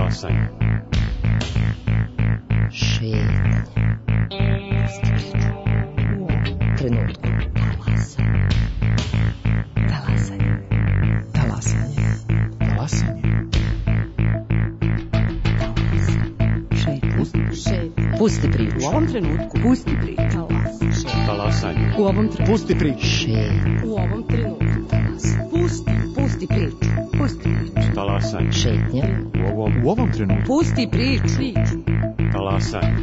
Talasanje. Šetanje. U ovom trenutku. Talasanje. Talasanje. Talasanje. Pusti priču. U ovom trenutku. Pusti priču. Talasanje. U ovom trenutku. Pusti priču. U ovom trenutku. Pusti priču. Pusti priču. Talasanje. Šetnja. U ovom trenutku. Pusti priču. Talasanje.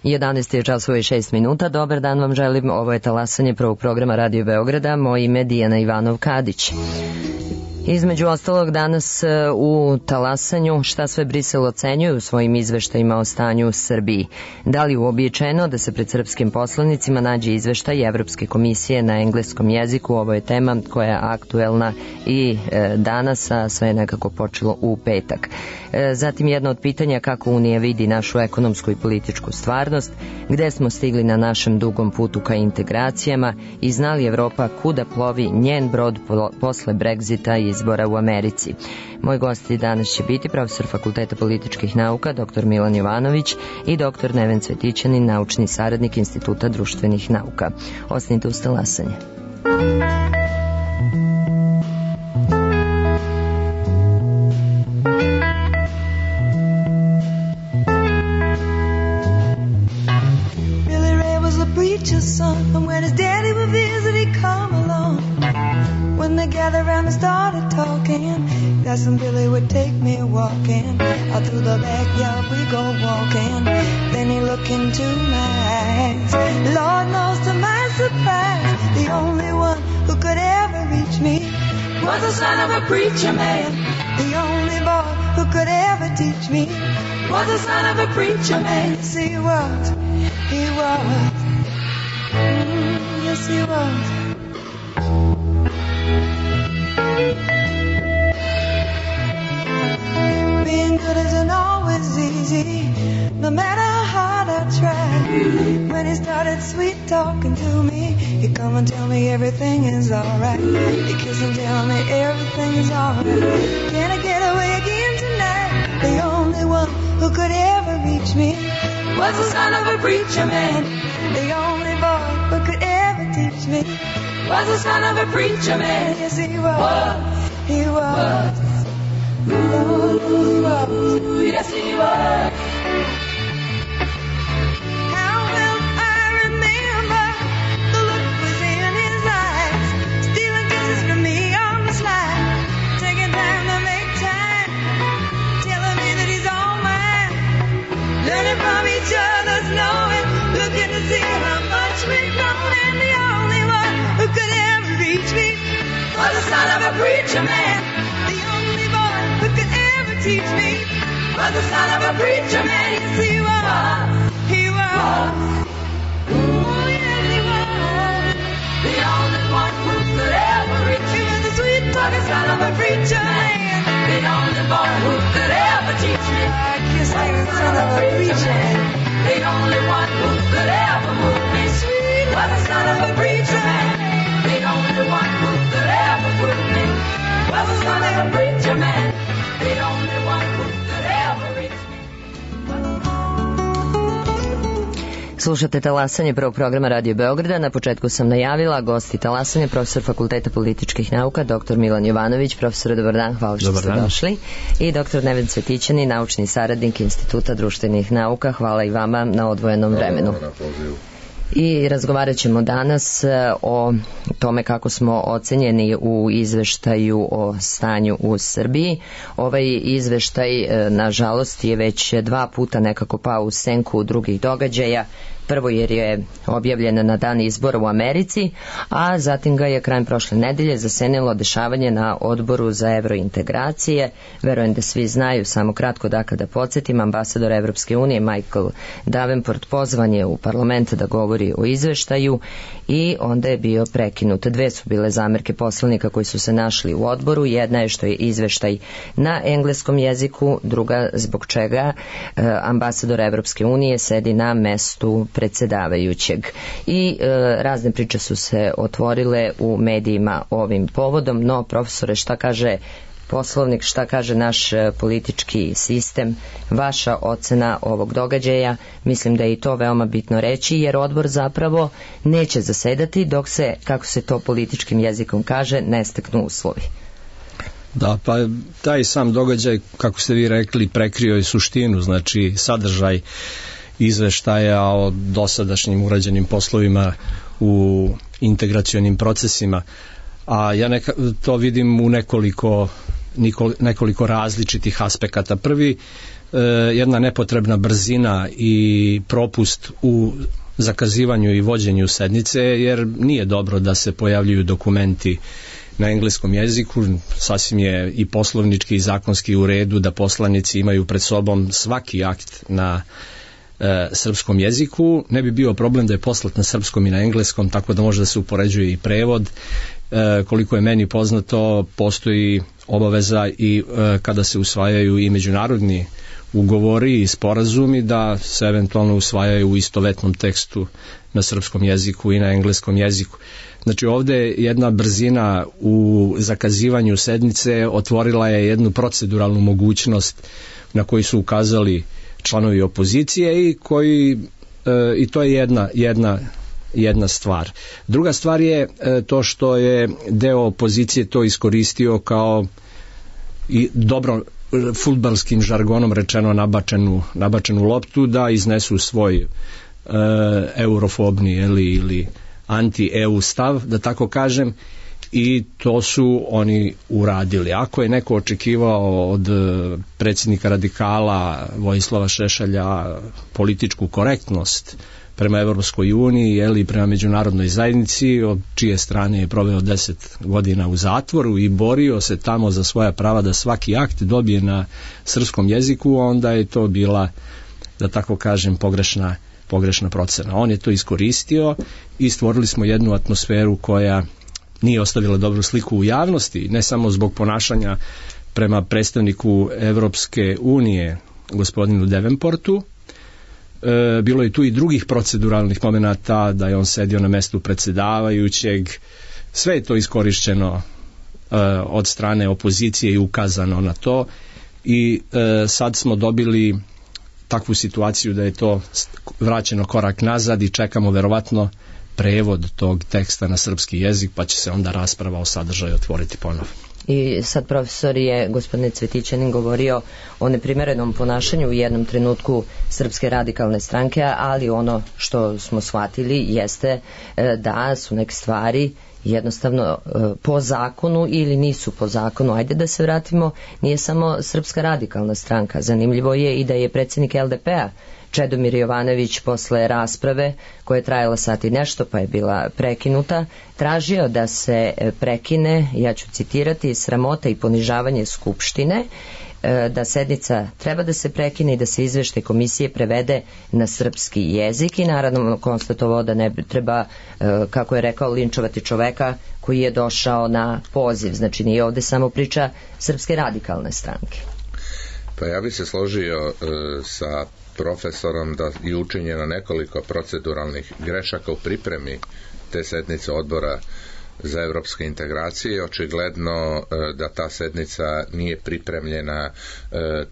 Jedanaest je časova i 6 minuta. Dobar dan vam želim. Ovo je talasanje prvog programa Radio Beograda. Moje ime Dijana Ivanov-Kadić. Između ostalog danas u talasanju šta sve Brisel ocenjuje u svojim izveštajima o stanju u Srbiji. Da li je uobičajeno da se pred srpskim poslanicima nađe izveštaj Evropske komisije na engleskom jeziku? Ovo je tema koja je aktuelna i danas, a sve je nekako počelo u petak. Zatim jedno od pitanja kako Unija vidi našu ekonomsku i političku stvarnost, gde smo stigli na našem dugom putu ka integracijama i zna li Evropa kuda plovi njen brod posle Brexita i izbora u Americi. Moj gosti danas će biti profesor Fakulteta političkih nauka dr. Milan Jovanović i dr. Neven Cvetićanin, naučni saradnik Instituta društvenih nauka. Ostanite uz talasanje. Son, and when his daddy would visit, he'd come along. When they gathered around and started talking, Cousin Billy would take me walking. Out through the backyard we go walking. Then he looked into my eyes. Lord knows to my surprise, the only one who could ever reach me was the son of a preacher man. The only boy who could ever teach me was the son of a preacher man. Yes, he was. He was. Yes, he was. Being good isn't always easy, no matter how hard I try. When he started sweet talking to me, he'd come and tell me everything is alright. He'd kiss and tell me everything is alright. Can I get away again tonight? The only one who could ever reach me was the son of a preacher man. The only boy who could ever teach me was the son of a preacher man. Yes, he was. He was. Ooh, yes, he was. How well I remember the look was in his eyes, stealing kisses from me on the slide, taking time to make time, telling me that he's all mine, learning from each other's knowing, looking to see how much we've grown, and the only one who could ever reach me was the son of a preacher man. The only boy who could ever teach me was the son of a preacher man. Yes, he was. He was. Oh, yes, he was. The only one who could ever reach me was the sweet-talking son of a preacher man. The only boy who could ever teach me was the son of a preacher man. The only one who could ever move me sweet was the son of a preacher man. The only one who could ever put me was the son of a preacher man. The only one who could ever reach me. Slušate talasanje prvog programa Radio Beograda. Na početku sam najavila gosti talasanje, profesor Fakulteta političkih nauka dr. Milan Jovanović. Profesore, dobar dan, hvala što ste došli. I dr. Neven Cvetićanin, naučni saradnik Instituta društvenih nauka. Hvala i vama na odvojenom vremenu. I razgovarat ćemo danas o tome kako smo ocenjeni u izveštaju o stanju u Srbiji. Ovaj izveštaj, nažalost, je već 2 puta nekako pao u senku drugih događaja. Prvo jer je objavljena na dan izbora u Americi, a zatim ga je krajem prošle nedelje zasenilo dešavanje na odboru za evrointegracije. Verujem da svi znaju, samo kratko da kada podsjetim, ambasador Evropske unije Michael Davenport pozvan je u parlament da govori o izveštaju i onda je bio prekinut. Dve su bile zamerke poslanika koji su se našli u odboru. Jedna je što je izveštaj na engleskom jeziku, druga zbog čega ambasador Evropske unije sedi na mestu predsedavajućeg. I razne priče su se otvorile u medijima ovim povodom, no profesore, šta kaže Poslovnik, šta kaže naš politički sistem, vaša ocena ovog događaja? Mislim da je i to veoma bitno reći, jer odbor zapravo neće zasedati dok se, kako se to političkim jezikom kaže, ne steknu uslovi. Da, pa taj sam događaj, kako ste vi rekli, prekrio je suštinu, znači sadržaj izveštaja o dosadašnjim urađenim poslovima u integracionim procesima, a ja to vidim u nekoliko različitih aspekata. Prvi, jedna nepotrebna brzina i propust u zakazivanju i vođenju sednice, jer nije dobro da se pojavljuju dokumenti na engleskom jeziku. Sasvim je i poslovnički i zakonski u redu da poslanici imaju pred sobom svaki akt na srpskom jeziku. Ne bi bio problem da je poslat na srpskom i na engleskom, tako da može da se upoređuje i prevod. Koliko je meni poznato, postoji obaveza i kada se usvajaju i međunarodni ugovori i sporazumi da se eventualno usvajaju u istovetnom tekstu na srpskom jeziku i na engleskom jeziku. Znači ovde jedna brzina u zakazivanju sednice otvorila je jednu proceduralnu mogućnost na koju su ukazali članovi opozicije i to je jedna stvar. Druga stvar je to što je deo opozicije to iskoristio kao i dobro fudbalskim žargonom rečeno nabačenu loptu da iznesu svoj eurofobni ili anti-EU stav, da tako kažem, i to su oni uradili. Ako je neko očekivao od predsjednika radikala Vojislava Šešelja političku korektnost prema Evropskoj uniji ili prema međunarodnoj zajednici, od čije strane je proveo 10 godina u zatvoru i borio se tamo za svoja prava da svaki akt dobije na srpskom jeziku, onda je to bila, da tako kažem, pogrešna procena. On je to iskoristio i stvorili smo jednu atmosferu koja nije ostavila dobru sliku u javnosti, ne samo zbog ponašanja prema predstavniku Evropske unije, gospodinu Davenportu. Bilo je tu i drugih proceduralnih momenata, da je on sedio na mestu predsedavajućeg. Sve je to iskorišćeno od strane opozicije i ukazano na to i sad smo dobili takvu situaciju da je to vraćeno korak nazad i čekamo verovatno prevod tog teksta na srpski jezik, pa će se onda rasprava o sadržaju otvoriti ponovo. I sad profesor je, gospodine Cvetićanin, govorio o neprimerenom ponašanju u jednom trenutku Srpske radikalne stranke, ali ono što smo shvatili jeste da su neke stvari jednostavno po zakonu ili nisu po zakonu. Ajde da se vratimo, nije samo Srpska radikalna stranka, zanimljivo je i da je predsjednik LDP-a Čedomir Jovanović posle rasprave koja je trajala sat i nešto pa je bila prekinuta, tražio da se prekine, ja ću citirati, sramota i ponižavanje Skupštine, da sednica treba da se prekine i da se izveštaj komisije prevede na srpski jezik i naravno konstatovao da ne treba, kako je rekao, linčovati čoveka koji je došao na poziv. Znači nije ovde samo priča Srpske radikalne stranke. Pa ja bih se složio sa profesorom da je učinjeno nekoliko proceduralnih grešaka u pripremi te sednice odbora za evropske integracije. Očigledno da ta sednica nije pripremljena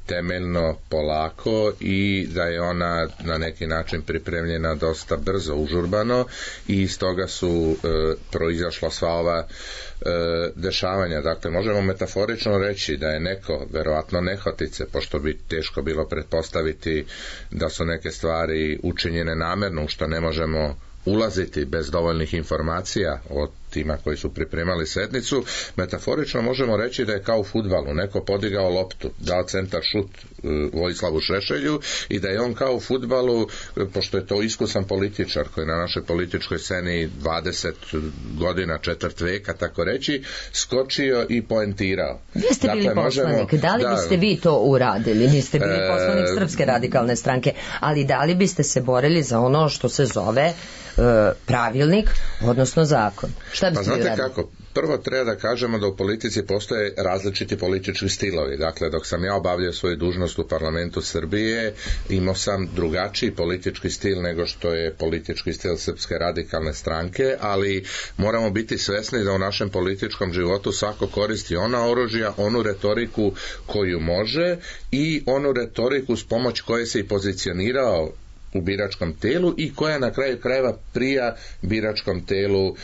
temeljno, polako i da je ona na neki način pripremljena dosta brzo, užurbano i iz toga su proizašla sva ova dešavanja. Dakle, možemo metaforično reći da je neko, verovatno nehotice, pošto bi teško bilo pretpostaviti da su neke stvari učinjene namerno, u što ne možemo ulaziti bez dovoljnih informacija o tima koji su pripremali sednicu. Metaforično možemo reći da je kao u fudbalu, neko podigao loptu, dao centar šut Vojislavu Šešelju i da je on kao u fudbalu, pošto je to iskusan političar koji na našoj političkoj sceni 20 godina, četvrt veka, tako reći, skočio i poentirao. Vi ste bili poslanik, da li biste vi to uradili? Niste bili poslanik Srpske radikalne stranke, ali da li biste se borili za ono što se zove pravilnik, odnosno zakon? Šta biste znate uradili? kako? Prvo treba da kažemo da u politici postoje različiti politički stilovi. Dakle, dok sam ja obavljao svoju dužnost u parlamentu Srbije, imao sam drugačiji politički stil nego što je politički stil Srpske radikalne stranke, ali moramo biti svesni da u našem političkom životu svako koristi ona oružja, onu retoriku koju može i onu retoriku s pomoć koje se i pozicionirao u biračkom telu i koja na kraju krajeva prija biračkom telu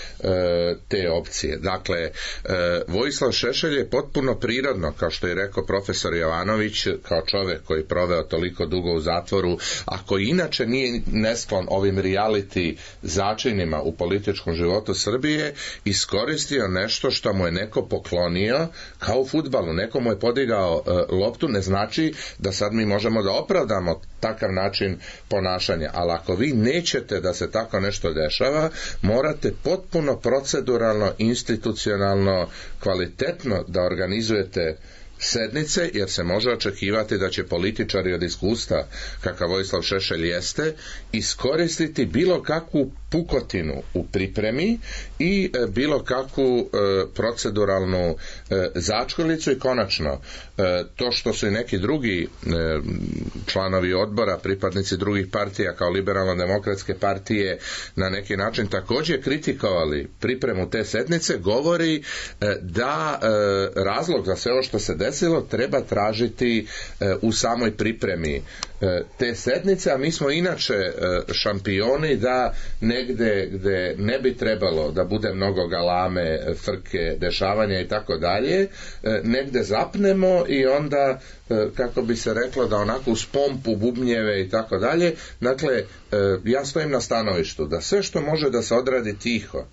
te opcije. Dakle, Vojislav Šešelj je potpuno prirodno, kao što je rekao profesor Jovanović, kao čovjek koji je proveo toliko dugo u zatvoru, a koji inače nije nesklon ovim reality začinima u političkom životu Srbije, iskoristio nešto što mu je neko poklonio, kao u fudbalu. Neko mu je podigao loptu, ne znači da sad mi možemo da opravdamo takav način ponašanja, ali ako vi nećete da se tako nešto dešava, morate potpuno proceduralno, institucionalno, kvalitetno da organizujete sednice, jer se može očekivati da će političari od iskustva, kakav Vojislav Šešelj jeste, iskoristiti bilo kakvu pukotinu u pripremi i bilo kakvu proceduralnu začkoljicu i konačno to što su i neki drugi članovi odbora, pripadnici drugih partija kao liberalno-demokratske partije na neki način također kritikovali pripremu te sednice, govori da razlog za sve ovo što se desilo treba tražiti u samoj pripremi te sednice, a mi smo inače šampioni da negde gde ne bi trebalo da bude mnogo galame, frke, dešavanja i tako dalje, negde zapnemo i onda, kako bi se reklo, da onako uz pompu, bubnjeve i tako dalje. Dakle, ja stojim na stanovištu da sve što može da se odradi tiho,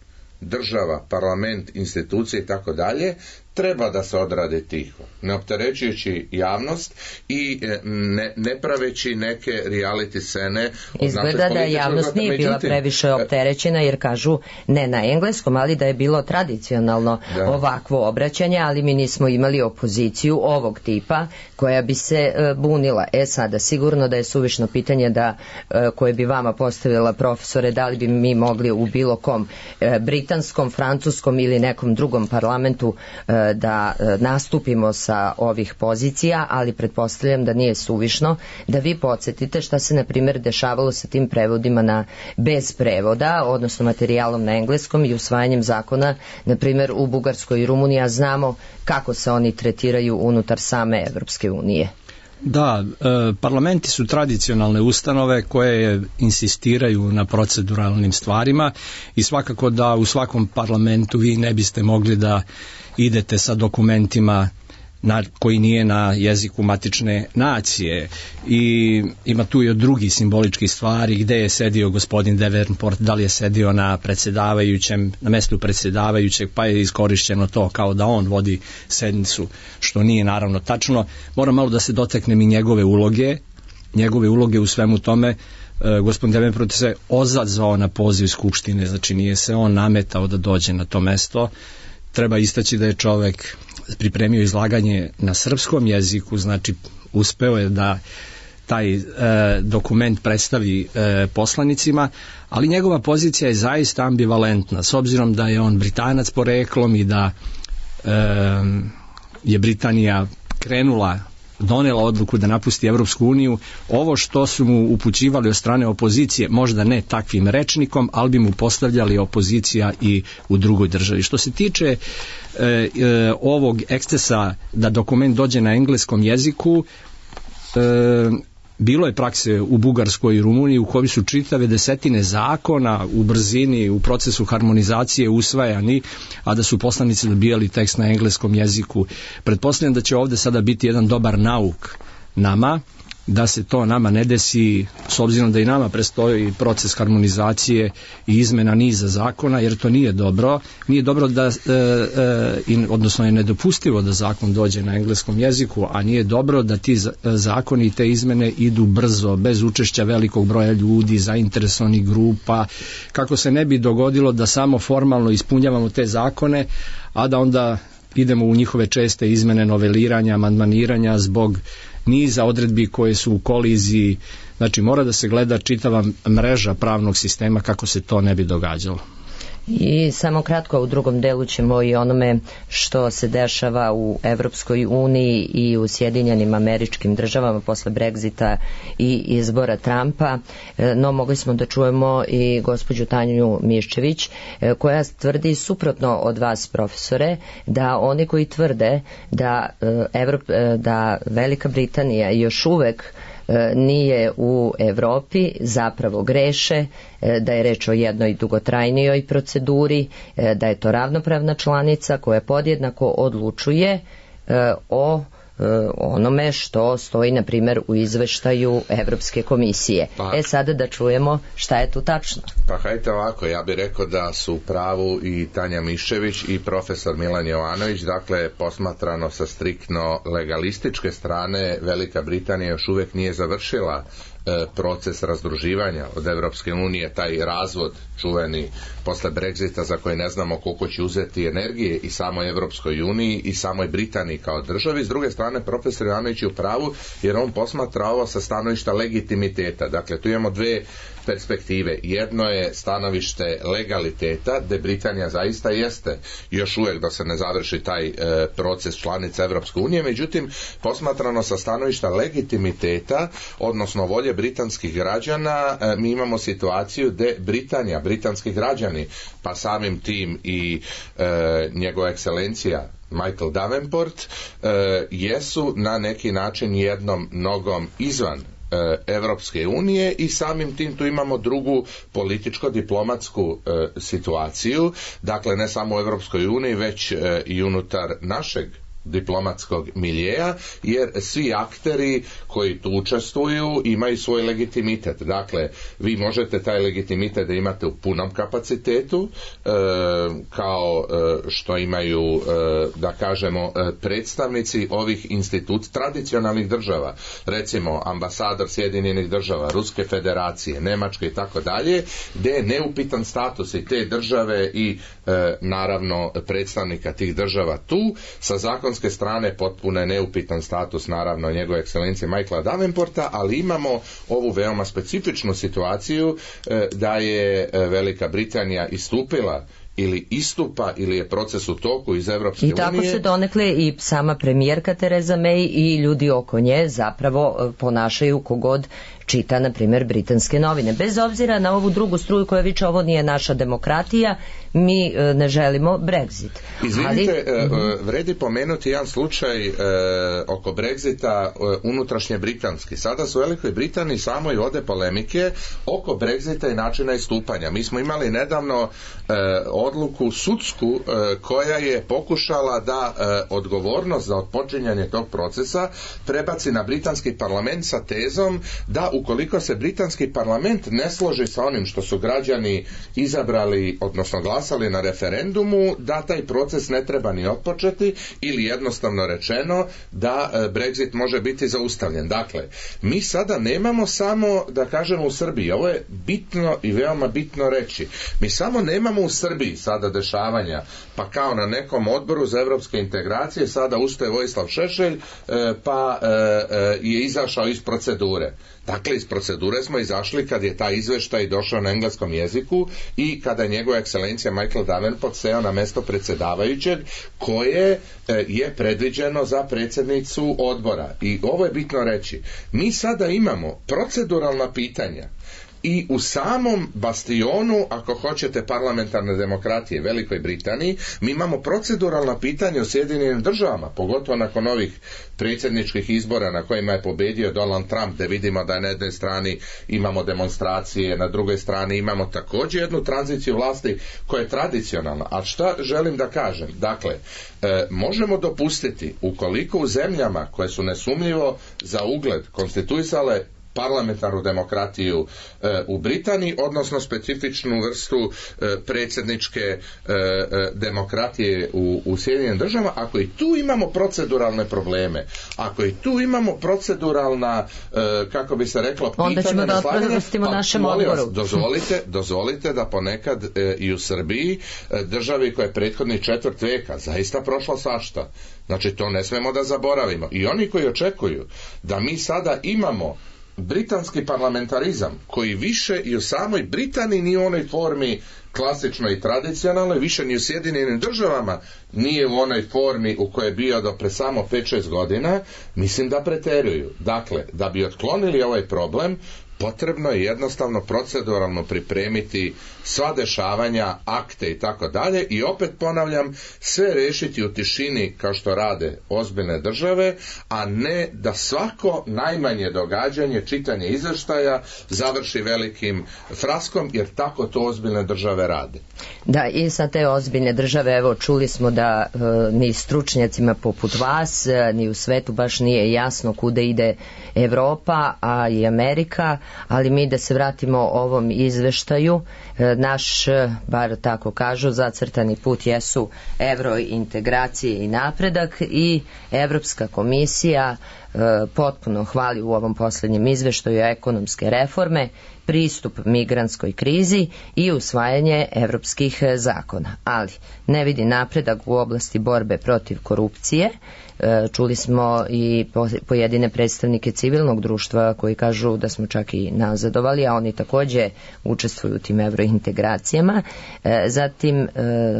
država, parlament, institucije i tako dalje, treba da se odradi tiho, ne opterećujući javnost i ne praveći neke reality scene. Izgleda da javnost nije bila previše opterećena, jer kažu, ne na engleskom, ali da je bilo tradicionalno ovakvo obraćanje, ali mi nismo imali opoziciju ovog tipa koja bi se bunila. Sada, sigurno da je suvišno pitanje koje bi vama postavila profesore, da li bi mi mogli u bilo kom britanskom, francuskom ili nekom drugom parlamentu da nastupimo sa ovih pozicija, ali pretpostavljam da nije suvišno da vi podsjetite šta se na primjer dešavalo sa tim prevodima bez prevoda, odnosno materijalom na engleskom i usvajanjem zakona, na primjer u Bugarskoj i Rumuniji, a znamo kako se oni tretiraju unutar same Evropske unije. Da, parlamenti su tradicionalne ustanove koje insistiraju na proceduralnim stvarima i svakako da u svakom parlamentu vi ne biste mogli da idete sa dokumentima koji nije na jeziku matične nacije, i ima tu i od drugih simboličkih stvari, gde je sedio gospodin Davenport, da li je sedio na mestu predsjedavajućeg, pa je iskorišćeno to kao da on vodi sednicu, što nije naravno tačno. Moram malo da se dotaknem i njegove uloge u svemu tome. Gospodin Davenport se ozadzvao na poziv Skupštine, znači nije se on nametao da dođe na to mesto. Treba istaći da je čovek pripremio izlaganje na srpskom jeziku, znači uspeo je da taj dokument predstavi poslanicima, ali njegova pozicija je zaista ambivalentna, s obzirom da je on Britanac poreklom i da je Britanija donela odluku da napusti Evropsku uniju. Ovo što su mu upućivali od strane opozicije, možda ne takvim rečnikom, ali bi mu postavljali opozicija i u drugoj državi. Što se tiče ovog ekscesa da dokument dođe na engleskom jeziku, bilo je prakse u Bugarskoj i Rumuniji u kojoj su čitave desetine zakona u brzini, u procesu harmonizacije usvajani, a da su poslanici dobijali tekst na engleskom jeziku. Pretpostavljam da će ovde sada biti jedan dobar nauk nama, da se to nama ne desi, s obzirom da i nama predstoji proces harmonizacije i izmena niza zakona, jer to nije dobro. Nije dobro da, odnosno je nedopustivo da zakon dođe na engleskom jeziku, a nije dobro da ti zakoni i te izmene idu brzo, bez učešća velikog broja ljudi, zainteresovanih grupa, kako se ne bi dogodilo da samo formalno ispunjavamo te zakone, a da onda idemo u njihove česte izmene, noveliranja, amandmaniranja zbog niza odredbi koje su u koliziji. Znači mora da se gleda čitava mreža pravnog sistema kako se to ne bi događalo. I samo kratko, u drugom delu ćemo i onome što se dešava u Evropskoj uniji i u Sjedinjenim Američkim Državama posle Brexita i izbora Trumpa, no mogli smo da čujemo i gospođu Tanju Miščević koja tvrdi suprotno od vas, profesore, da oni koji tvrde da Velika Britanija još uvek nije u Evropi, zapravo greše, da je reč o jednoj dugotrajnijoj proceduri, da je to ravnopravna članica koja podjednako odlučuje o onome što stoji, na primjer, u izveštaju Evropske komisije. Sada da čujemo šta je tu tačno. Pa hajte ovako, ja bih rekao da su u pravu i Tanja Miščević i profesor Milan Jovanović. Dakle, posmatrano sa striktno legalističke strane, Velika Britanija još uvijek nije završila proces razdruživanja od Evropske unije, taj razvod čuveni posle Brexita za koji ne znamo koliko će uzeti energije i samoj Evropskoj uniji i samoj Britaniji kao državi. S druge strane, profesor Jovanović je u pravu jer on posmatra ovo sa stanovišta legitimiteta. Dakle, tu imamo dve perspektive. Jedno je stanovište legaliteta, gde Britanija zaista jeste još uvijek da se ne završi taj proces članica Evropske unije, međutim, posmatrano sa stanovišta legitimiteta, odnosno volje britanskih građana, mi imamo situaciju gde Britanija, britanski građani, pa samim tim i njegova ekscelencija Michael Davenport, jesu na neki način jednom nogom izvan Evropske unije i samim tim tu imamo drugu političko-diplomatsku situaciju, dakle ne samo u Evropskoj uniji već i unutar našeg diplomatskog miljeja, jer svi akteri koji tu učestvuju imaju svoj legitimitet. Dakle, vi možete taj legitimitet da imate u punom kapacitetu, kao što imaju, da kažemo, predstavnici ovih tradicionalnih država, recimo ambasador Sjedinjenih država, Ruske federacije, Nemačke i tako dalje, gdje je neupitan status i te države i naravno predstavnika tih država tu, sa zakonske strane potpuno je neupitan status naravno njegove ekscelencije Michaela Davenporta, ali imamo ovu veoma specifičnu situaciju da je Velika Britanija istupila ili istupa ili je proces u toku iz Evropske unije. I tako se donekle i sama premijerka Theresa May i ljudi oko nje zapravo ponašaju kogod čita, na primjer, britanske novine. Bez obzira na ovu drugu struju koja viče ovo nije naša demokratija, mi ne želimo Brexit. Izvinite, vredi pomenuti jedan slučaj oko Brexita unutrašnje britanski. Sada su u Velikoj Britaniji samo i vode polemike oko Brexita i načina istupanja. Mi smo imali nedavno odluku sudsku koja je pokušala da odgovornost za odpočinjanje tog procesa prebaci na britanski parlament sa tezom da ukoliko se britanski parlament ne složi sa onim što su građani izabrali, odnosno glasali na referendumu, da taj proces ne treba ni otpočeti ili jednostavno rečeno da Brexit može biti zaustavljen. Dakle, mi sada nemamo samo, da kažemo, u Srbiji, ovo je bitno i veoma bitno reći, mi samo nemamo u Srbiji sada dešavanja, pa kao na nekom odboru za evropske integracije sada ustaje Vojislav Šešelj pa je izašao iz procedure. Dakle, iz procedure smo izašli kad je taj izveštaj došao na engleskom jeziku i kada je njegova ekscelencija Michael Davenport seo na mesto predsjedavajućeg koje je predviđeno za predsjednicu odbora. I ovo je bitno reći. Mi sada imamo proceduralna pitanja i u samom bastionu, ako hoćete, parlamentarne demokratije Velikoj Britaniji, mi imamo proceduralna pitanja u Sjedinjenim Državama, pogotovo nakon ovih predsjedničkih izbora na kojima je pobedio Donald Trump, da vidimo da na jednoj strani imamo demonstracije, na drugoj strani imamo također jednu tranziciju vlasti koja je tradicionalna. A šta želim da kažem? Dakle, možemo dopustiti, ukoliko u zemljama koje su nesumnjivo za ugled konstituisale parlamentarnu demokratiju u Britaniji, odnosno specifičnu vrstu predsjedničke demokratije u Sjedinjenim Državama, ako i tu imamo proceduralne probleme, ako i tu imamo proceduralna, kako bi se reklo, pitanja, onda ćemo da otprostimo našem odboru. Dozvolite da ponekad i u Srbiji, državi koja je prethodni 4. veka zaista prošla svašta. Znači, to ne smemo da zaboravimo. I oni koji očekuju da mi sada imamo britanski parlamentarizam koji više i u samoj Britaniji nije u onoj formi klasičnoj i tradicionalnoj, više ni u Sjedinjenim Državama nije u onoj formi u kojoj je bio do pre samo 5-6 godina, mislim da preteruju. Dakle, da bi otklonili ovaj problem, potrebno je jednostavno proceduralno pripremiti sva dešavanja, akte i tako dalje, i opet ponavljam, sve rešiti u tišini kao što rade ozbiljne države, a ne da svako najmanje događanje, čitanje izveštaja završi velikim fraskom, jer tako to ozbiljne države rade. Da, i sa te ozbiljne države, evo, čuli smo da ni stručnjacima poput vas, ni u svetu baš nije jasno kuda ide Evropa, a i Amerika, ali mi da se vratimo ovom izveštaju, naš, bar tako kažu, zacrtani put jesu evrointegracije i napredak, i Evropska komisija potpuno hvali u ovom posljednjem izveštaju ekonomske reforme, pristup migrantskoj krizi i usvajanje evropskih zakona. Ali ne vidi napredak u oblasti borbe protiv korupcije. Čuli smo i pojedine predstavnike civilnog društva koji kažu da smo čak i nazadovali, a oni također učestvuju u tim evrointegracijama. Zatim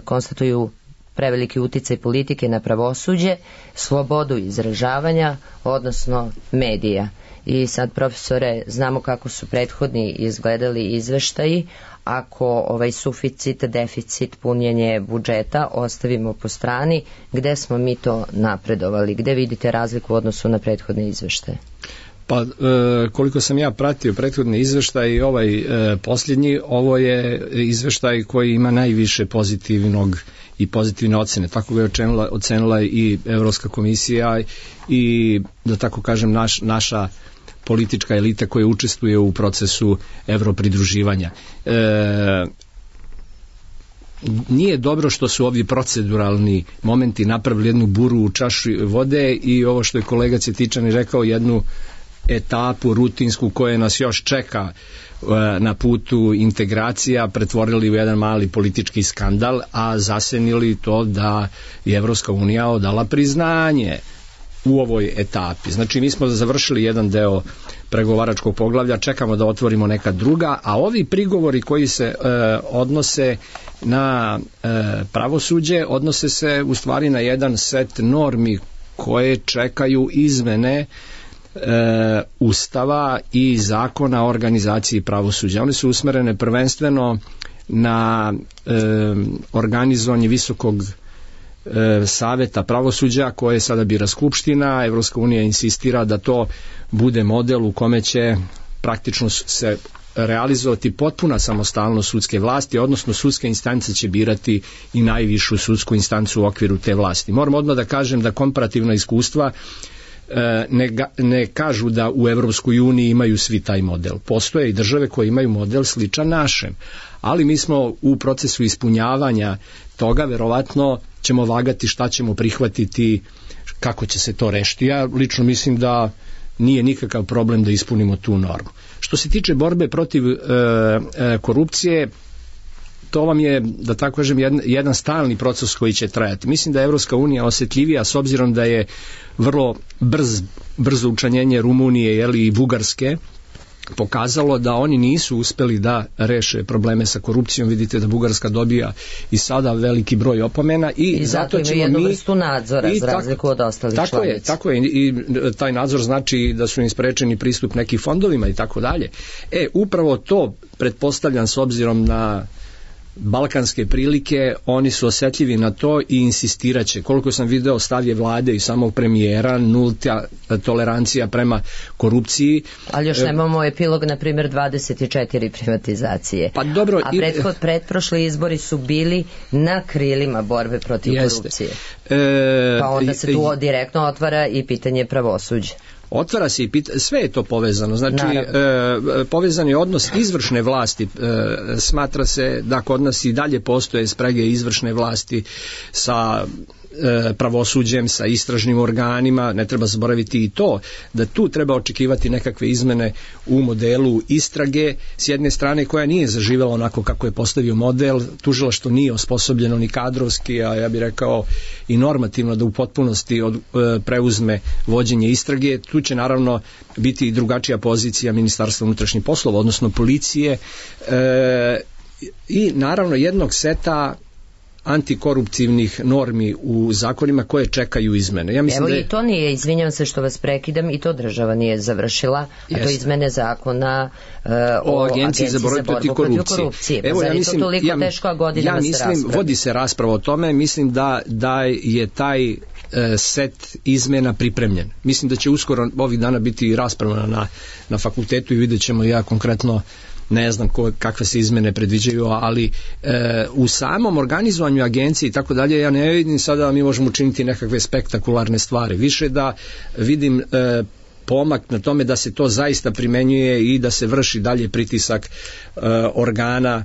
konstatuju preveliki uticaj politike na pravosuđe, slobodu izražavanja, odnosno medija. I sad, profesore, znamo kako su prethodni izgledali izveštaji. Ako ovaj suficit, deficit, punjenje budžeta ostavimo po strani, gde smo mi to napredovali? Gde vidite razliku u odnosu na prethodne izveštaje? Pa, koliko sam ja pratio prethodni izveštaj i ovaj posljednji, ovo je izveštaj koji ima najviše pozitivnog i pozitivne ocene. Tako ga je ocenila i Evropska komisija i, da tako kažem, naša politička elita koja učestvuje u procesu evropridruživanja. Nije dobro što su ovi proceduralni momenti napravili jednu buru u čaši vode i ovo što je kolega Cvjetičanin rekao, jednu etapu rutinsku koja nas još čeka na putu integracija, pretvorili u jedan mali politički skandal, a zasenili to da je Evropska unija odala priznanje u ovoj etapi. Znači, mi smo završili jedan deo pregovaračkog poglavlja, čekamo da otvorimo neka druga, a ovi prigovori koji se odnose na pravosuđe, odnose se u stvari na jedan set normi koje čekaju izmene Ustava i zakona o organizaciji pravosuđa. One su usmerene prvenstveno na organizovanje visokog saveta pravosuđa koje sada bira Skupština. Evropska unija insistira da to bude model u kome će praktično se realizovati potpuna samostalnost sudske vlasti, odnosno sudska instanca će birati i najvišu sudsku instancu u okviru te vlasti. Moram odmah da kažem da komparativna iskustva ne kažu da u Evropskoj uniji imaju svi taj model. Postoje i države koje imaju model sličan našem, ali mi smo u procesu ispunjavanja toga, verovatno ćemo vagati šta ćemo prihvatiti, kako će se to rešiti. Ja lično mislim da nije nikakav problem da ispunimo tu normu. Što se tiče borbe protiv korupcije, to vam je, da tako kažem, jedan stalni proces koji će trajati. Mislim da je Evropska unija osjetljivija s obzirom da je vrlo brzo učlanjenje Rumunije i Bugarske pokazalo da oni nisu uspeli da reše probleme sa korupcijom. Vidite da Bugarska dobija i sada veliki broj opomena i zato imaju ćemo jednu mi vrstu nadzora za razliku od ostalih članica. Tako je i taj nadzor znači da su im sprečeni pristup nekim fondovima i tako dalje. Upravo to pretpostavljam s obzirom na balkanske prilike, oni su osjetljivi na to i insistiraće. Koliko sam video, stav je vlade i samog premijera, nulta tolerancija prema korupciji. Ali još nemamo epilog, na primjer, 24 privatizacije. Pa dobro, a pretprošli izbori su bili na krilima borbe protiv korupcije. Pa onda se tu direktno otvara i pitanje pravosuđa. Otvara se i sve je to povezano, znači povezan je odnos izvršne vlasti, smatra se da kod nas i dalje postoje sprege izvršne vlasti sa pravosuđem, sa istražnim organima, ne treba zaboraviti i to, da tu treba očekivati nekakve izmene u modelu istrage, s jedne strane koja nije zaživela onako kako je postavio model, tužilaštvo nije osposobljeno ni kadrovski, a ja bih rekao i normativno da u potpunosti preuzme vođenje istrage. Tu će naravno biti i drugačija pozicija Ministarstva unutrašnjih poslova, odnosno policije i naravno jednog seta antikoruptivnih normi u zakonima koje čekaju izmene. Ja mislim i to nije, izvinjam se što vas prekidam, i to država nije završila, a to izmene zakona o Agenciji za borbu protiv korupcije. Evo, ja mislim, to toliko teško godinama se raspravlja. Vodi se rasprava o tome, mislim da je taj set izmena pripremljen. Mislim da će uskoro ovih dana biti rasprava na fakultetu i vidjet ćemo ja konkretno ne znam kakve se izmene predviđaju, ali u samom organizovanju agencije i tako dalje, ja ne vidim sada da mi možemo učiniti nekakve spektakularne stvari. Više da vidim pomak na tome da se to zaista primenjuje i da se vrši dalje pritisak organa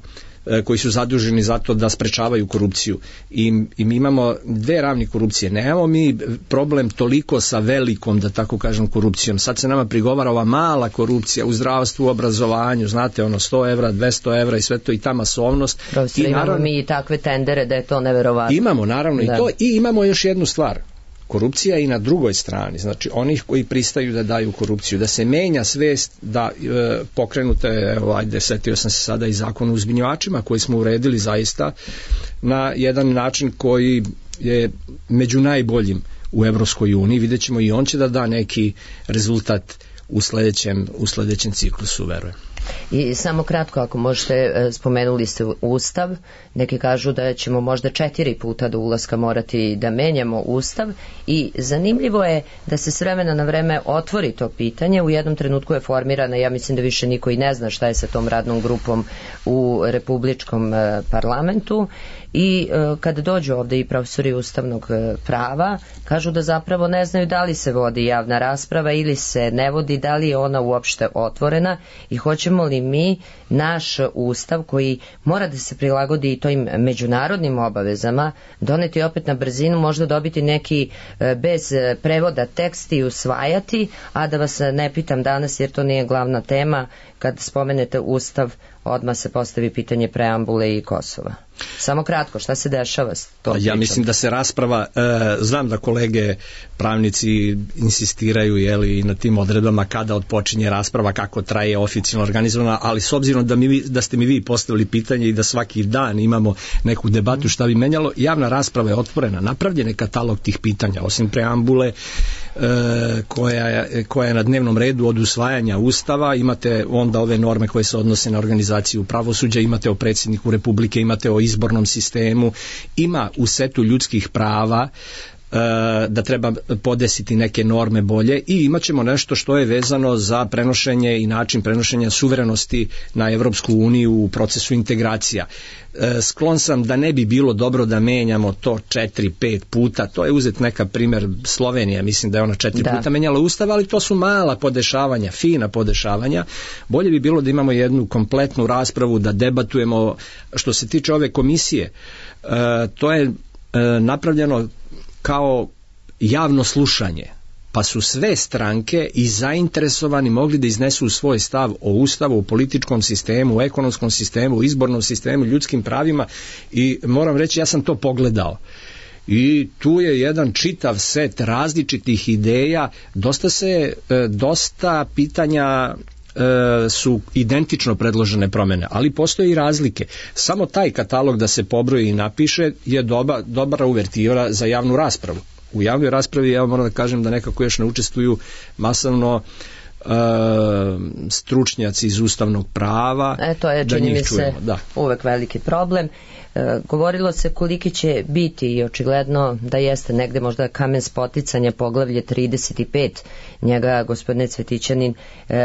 koji su zaduženi za to da sprečavaju korupciju. I mi imamo dve ravni korupcije. Nemamo mi problem toliko sa velikom, da tako kažem, korupcijom. Sad se nama prigovara ova mala korupcija u zdravstvu, u obrazovanju, znate, 100 evra, 200 evra i sve to, i ta masovnost. Imamo mi i takve tendere da je to neverovatno. Imamo naravno i to, i imamo još jednu stvar. Korupcija i na drugoj strani, znači onih koji pristaju da daju korupciju, da se menja svest, da pokrenute, setio sam se sada i zakon o uzbunjivačima koji smo uredili zaista na jedan način koji je među najboljim u Evropskoj uniji. Vidjet ćemo i on će da da neki rezultat u sledećem ciklusu, verujem. I samo kratko, ako možete, spomenuli ste Ustav, neki kažu da ćemo možda 4 puta do ulaska morati da menjamo Ustav, i zanimljivo je da se s vremena na vreme otvori to pitanje. U jednom trenutku je formirana, ja mislim da više niko i ne zna šta je sa tom radnom grupom u Republičkom parlamentu, i kada dođu ovde i profesori ustavnog prava, kažu da zapravo ne znaju da li se vodi javna rasprava ili se ne vodi, da li je ona uopšte otvorena, i hoćemo li mi naš ustav, koji mora da se prilagodi i tojim međunarodnim obavezama, doneti opet na brzinu, možda dobiti neki bez prevoda tekst i usvajati, a da vas ne pitam danas, jer to nije glavna tema, kad spomenete ustav odmah se postavi pitanje preambule i Kosova. Samo kratko, šta se dešava s tom pričom? Ja mislim da se rasprava, znam da kolege pravnici insistiraju na tim odredbama kada odpočinje rasprava, kako traje oficijalno organizovana, ali s obzirom da ste mi vi postavili pitanje i da svaki dan imamo neku debatu šta bi menjalo, javna rasprava je otvorena, napravljen je katalog tih pitanja, osim preambule koja je na dnevnom redu od usvajanja Ustava, imate onda ove norme koje se odnose na organizaciju pravosuđa, imate o predsjedniku Republike, imate o izbornom sistemu, ima u setu ljudskih prava da treba podesiti neke norme bolje, i imat ćemo nešto što je vezano za prenošenje i način prenošenja suverenosti na Evropsku uniju u procesu integracija. Sklon sam da ne bi bilo dobro da menjamo to 4-5 puta, to je uzet neka primjer Slovenija, mislim da je ona 4 puta menjala ustav, ali to su mala podešavanja, fina podešavanja. Bolje bi bilo da imamo jednu kompletnu raspravu, da debatujemo. Što se tiče ove komisije, to je napravljeno kao javno slušanje, pa su sve stranke i zainteresovani mogli da iznesu svoj stav o ustavu, o političkom sistemu, o ekonomskom sistemu, o izbornom sistemu, ljudskim pravima, i moram reći, ja sam to pogledao. I tu je jedan čitav set različitih ideja, dosta pitanja su identično predložene promene, ali postoje i razlike. Samo taj katalog da se pobroji i napiše je dobra uvertiva za javnu raspravu. U javnoj raspravi ja moram da kažem da nekako još ne učestvuju masovno stručnjaci iz ustavnog prava. To je, čini mi se, da. Uvek veliki problem. Govorilo se koliki će biti i očigledno da jeste negde možda kamen spoticanja poglavlje 35. Njega, gospodine Cvetićanin,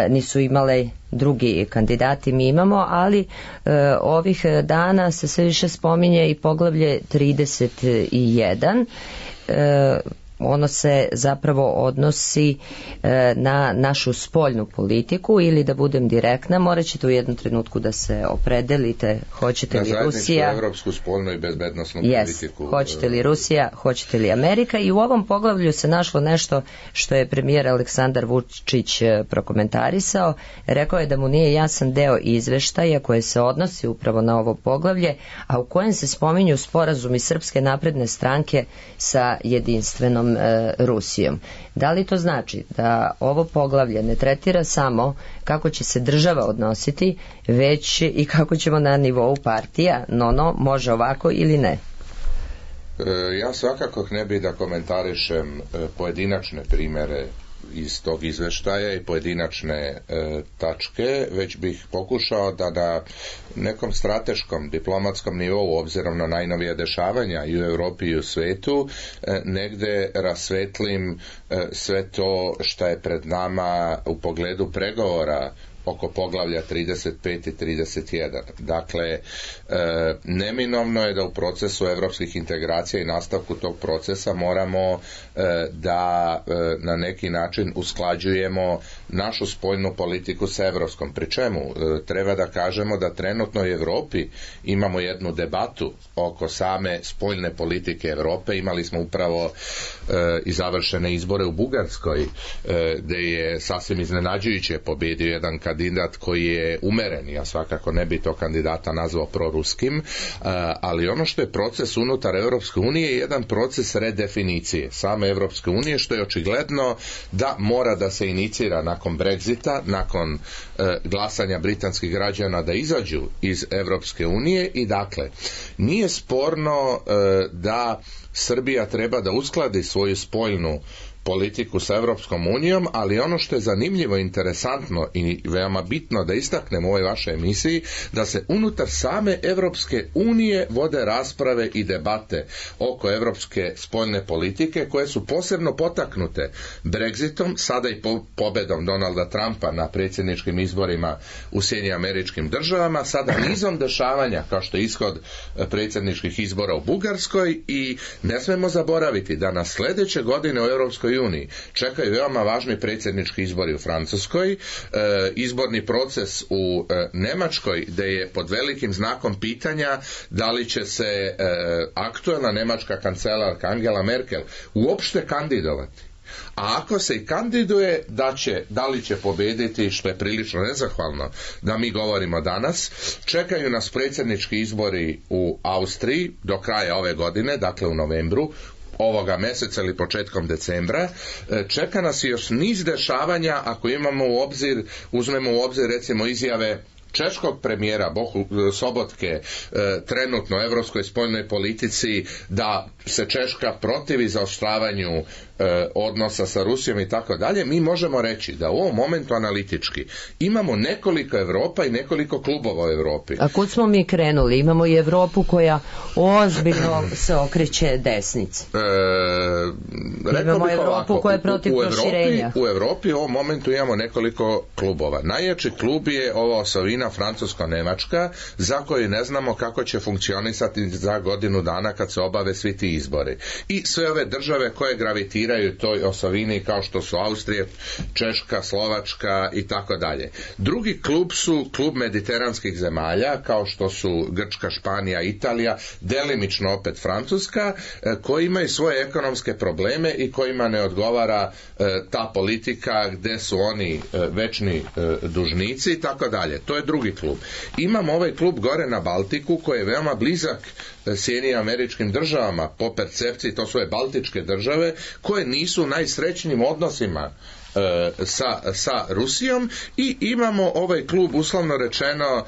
nisu imale drugi kandidati, mi imamo, ali ovih dana se sve više spominje i poglavlje 31. Ono se zapravo odnosi na našu spoljnu politiku, ili da budem direktna, morat ćete u jednom trenutku da se opredelite, hoćete li Rusija, na evropsku spoljnu i bezbednosnu politiku. Hoćete li Rusija, hoćete li Amerika, i u ovom poglavlju se našlo nešto što je premijer Aleksandar Vučić prokomentarisao. Rekao je da mu nije jasan deo izveštaja koje se odnosi upravo na ovo poglavlje, a u kojem se spominju sporazumi Srpske napredne stranke sa jedinstvenom Rusijom. Da li to znači da ovo poglavlje ne tretira samo kako će se država odnositi, već i kako ćemo na nivou partija, može ovako ili ne? Ja svakako ne bih da komentarišem pojedinačne primere iz tog izveštaja i pojedinačne tačke, već bih pokušao da na nekom strateškom diplomatskom nivou, obzirom na najnovije dešavanja i u Evropi i u svetu, negde rasvetlim sve to što je pred nama u pogledu pregovora oko poglavlja 35 i 31. Dakle, neminovno je da u procesu evropskih integracija i nastavku tog procesa moramo da na neki način usklađujemo našu spoljnu politiku sa evropskom. Pri čemu treba da kažemo da trenutno u Evropi imamo jednu debatu oko same spoljne politike Evrope. Imali smo upravo i završene izbore u Bugarskoj, gde je sasvim iznenađujuće pobedio jedan kandidat koji je umeren. Ja svakako ne bi to kandidata nazvao proruskim, ali ono što je proces unutar Evropske unije je jedan proces redefinicije same Evropske unije, što je očigledno da mora da se inicira nakon Brexita, nakon glasanja britanskih građana da izađu iz Evropske unije. I dakle, nije sporno da Srbija treba da uskladi svoju spoljnu politiku sa Evropskom unijom, ali ono što je zanimljivo, interesantno i veoma bitno da istaknem u ovoj vašoj emisiji, da se unutar same Evropske unije vode rasprave i debate oko evropske spoljne politike, koje su posebno potaknute Brexitom, sada i pobedom Donalda Trumpa na predsjedničkim izborima u Sjedinjenim Američkim Državama, sada nizom dešavanja kao što je ishod predsjedničkih izbora u Bugarskoj. I ne smemo zaboraviti da na sljedeće godine u Evropskoj uniji čekaju veoma važni predsjednički izbori u Francuskoj, izborni proces u Nemačkoj, gde je pod velikim znakom pitanja da li će se aktuelna nemačka kancelarka Angela Merkel uopšte kandidovati. A ako se i kandiduje, da li će pobediti, što je prilično nezahvalno da mi govorimo danas. Čekaju nas predsjednički izbori u Austriji do kraja ove godine, dakle u novembru ovoga mjeseca ili početkom decembra. Čeka nas još niz dešavanja ako uzmemo u obzir recimo izjave češkog premijera Sobotke trenutno u evropskoj spoljnoj politici da se Češka protivi zaoštravanju odnosa sa Rusijom i tako dalje. Mi možemo reći da u ovom momentu analitički imamo nekoliko Evropa i nekoliko klubova u Evropi. A kud smo mi krenuli? Imamo i Evropu koja ozbiljno se okreće desnici. Imamo Evropu koja je protiv proširenja. U Evropi u ovom momentu imamo nekoliko klubova. Najjači klub je ova osovina francusko-nemačka, za koju ne znamo kako će funkcionisati za godinu dana kad se obave svi ti izbori. I sve ove države koje gravitiraju toj osovini, kao što su Austrija, Češka, Slovačka i tako dalje. Drugi klub su klub mediteranskih zemalja, kao što su Grčka, Španija, Italija, delimično opet Francuska, koji imaju svoje ekonomske probleme i kojima ne odgovara ta politika gde su oni večni dužnici i tako dalje. To je drugi klub. Imamo ovaj klub gore na Baltiku koji je veoma blizak Sjedinjenim Američkim Državama po percepciji, to su baltičke države koje države nisu u najsrećnijim odnosima sa Rusijom i imamo ovaj klub uslovno rečeno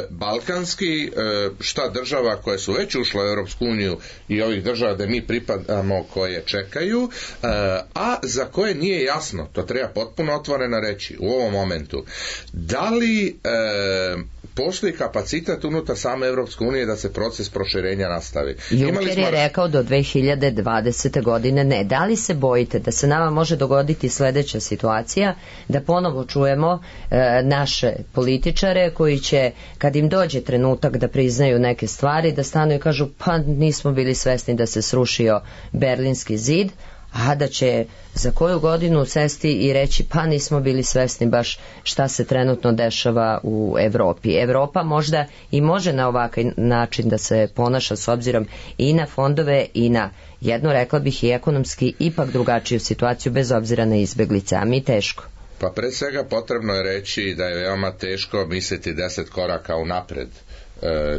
balkanski, šta država koje su već ušle u Europsku uniju i ovih država da mi pripadamo koje čekaju, a za koje nije jasno, to treba potpuno otvoreno reći u ovom momentu, da li postoji kapacitet unutar same Europske unije da se proces proširenja nastavi. Juncker je rekao do 2020. godine ne. Da li se bojite da se nama može dogoditi sledeća situacija, da ponovo čujemo naše političare koji će, kad im dođe trenutak da priznaju neke stvari, da stanu i kažu pa nismo bili svesni da se srušio Berlinski zid, a da će za koju godinu sesti i reći pa nismo bili svesni baš šta se trenutno dešava u Evropi. Evropa možda i može na ovakav način da se ponaša s obzirom i na fondove i na jednu, rekla bih, i ekonomski ipak drugačiju situaciju bez obzira na izbeglice, a mi teško. Pa pre svega potrebno je reći da je veoma teško misliti 10 koraka unapred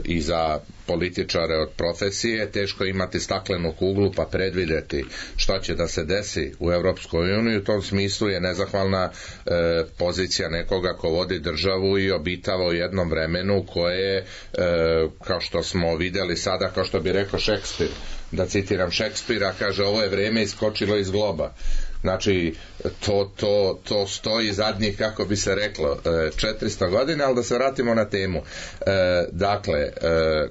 i za političare od profesije, teško imati staklenu kuglu pa predvideti šta će da se desi u Europskoj uniji. U tom smislu je nezahvalna pozicija nekoga ko vodi državu i obitava u jednom vremenu koje, kao što smo videli sada, kao što bi rekao Šekspir, da citiram Šekspira, kaže ovo je vreme iskočilo iz globa. Znači, to stoji zadnjih, kako bi se reklo, 400 godina, ali da se vratimo na temu. Dakle,